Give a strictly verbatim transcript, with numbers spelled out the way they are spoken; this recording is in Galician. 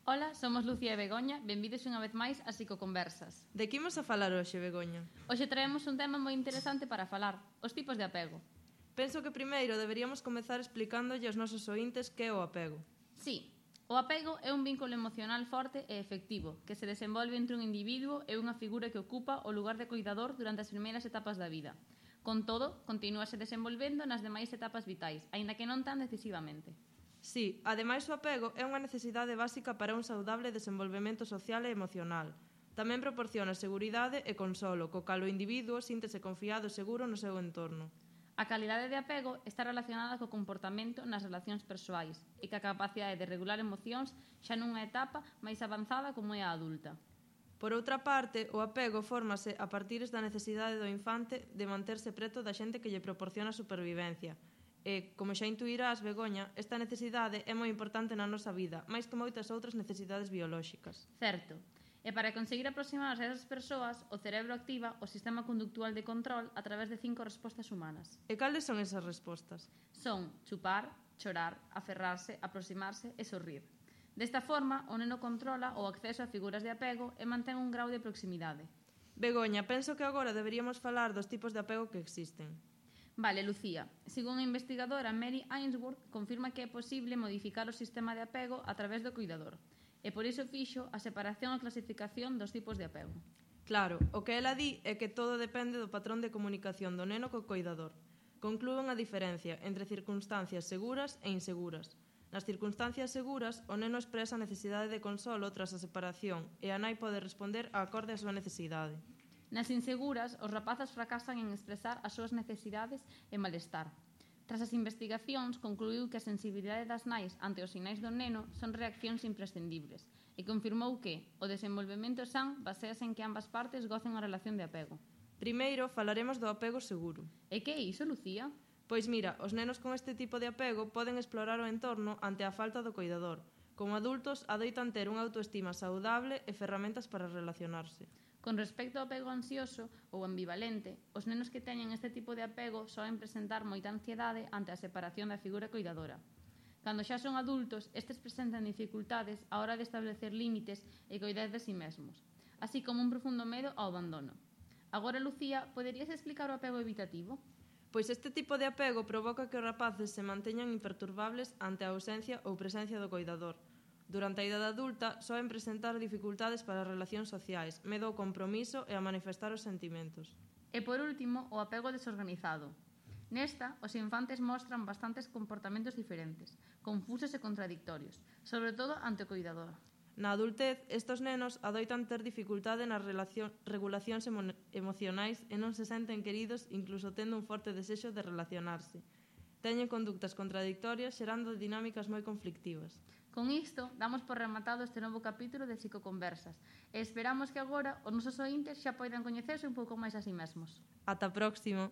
Ola, somos Lucía e Begoña, benvidos unha vez máis a Psicoconversas. De que imos a falar hoxe, Begoña? Hoxe traemos un tema moi interesante para falar, os tipos de apego. Penso que primeiro deberíamos comezar explicándolle aos nosos ointes que é o apego. Sí, o apego é un vínculo emocional forte e efectivo que se desenvolve entre un individuo e unha figura que ocupa o lugar de cuidador durante as primeiras etapas da vida. Con todo, continúase desenvolvendo nas demais etapas vitais, aínda que non tan decisivamente. Sí, ademais o apego é unha necesidade básica para un saudable desenvolvemento social e emocional. Tamén proporciona seguridade e consolo, co cal o individuo síntese confiado e seguro no seu entorno. A calidade de apego está relacionada co comportamento nas relacións persoais e ca capacidade de regular emocións xa nunha etapa máis avanzada como é a adulta. Por outra parte, o apego fórmase a partir da necesidade do infante de manterse preto da xente que lle proporciona supervivencia. E, como xa intuirás, Begoña, esta necesidade é moi importante na nosa vida, máis que moitas outras necesidades biolóxicas. Certo. E para conseguir aproximarse a esas persoas, o cerebro activa o sistema conductual de control a través de cinco respostas humanas. E cales son esas respostas? Son chupar, chorar, aferrarse, aproximarse e sorrir. Desta forma, o neno controla o acceso a figuras de apego e mantén un grau de proximidade. Begoña, penso que agora deberíamos falar dos tipos de apego que existen. Vale, Lucía. Según a investigadora Mary Ainsworth, confirma que é posible modificar o sistema de apego a través do cuidador. E por iso fixo a separación e clasificación dos tipos de apego. Claro, o que ela di é que todo depende do patrón de comunicación do neno co coidador. Conclúe unha diferencia entre circunstancias seguras e inseguras. Nas circunstancias seguras, o neno expresa a necesidade de consolo tras a separación e a nai pode responder acorde á súa necesidade. Nas inseguras, os rapazas fracasan en expresar as súas necesidades e malestar. Tras as investigacións, concluíu que a sensibilidade das nais ante os sinais do neno son reaccións imprescindibles e confirmou que o desenvolvemento san basease en que ambas partes gocen a relación de apego. Primeiro, falaremos do apego seguro. E que é iso, Lucía? Pois mira, os nenos con este tipo de apego poden explorar o entorno ante a falta do coidador. Como adultos, adoitan ter unha autoestima saudable e ferramentas para relacionarse. Con respecto ao apego ansioso ou ambivalente, os nenos que teñen este tipo de apego soen presentar moita ansiedade ante a separación da figura coidadora. Cando xa son adultos, estes presentan dificultades á hora de establecer límites e coidar de si mesmos, así como un profundo medo ao abandono. Agora, Lucía, poderías explicar o apego evitativo? Pois este tipo de apego provoca que os rapaces se manteñan imperturbables ante a ausencia ou presencia do coidador. Durante a idade adulta, soen presentar dificultades para as relacións sociais, medo ao compromiso e a manifestar os sentimentos. E por último, o apego desorganizado. Nesta, os infantes mostran bastantes comportamentos diferentes, confusos e contradictorios, sobre todo ante o coidador. Na adultez, estos nenos adoitan ter dificultade nas relación, regulacións emo, emocionais e non se senten queridos incluso tendo un forte desexo de relacionarse. Teñen conductas contradictorias xerando dinámicas moi conflictivas. Con isto, damos por rematado este novo capítulo de Psicoconversas e esperamos que agora os nosos ointes xa poidan coñecerse un pouco máis a si mesmos. Ata próximo!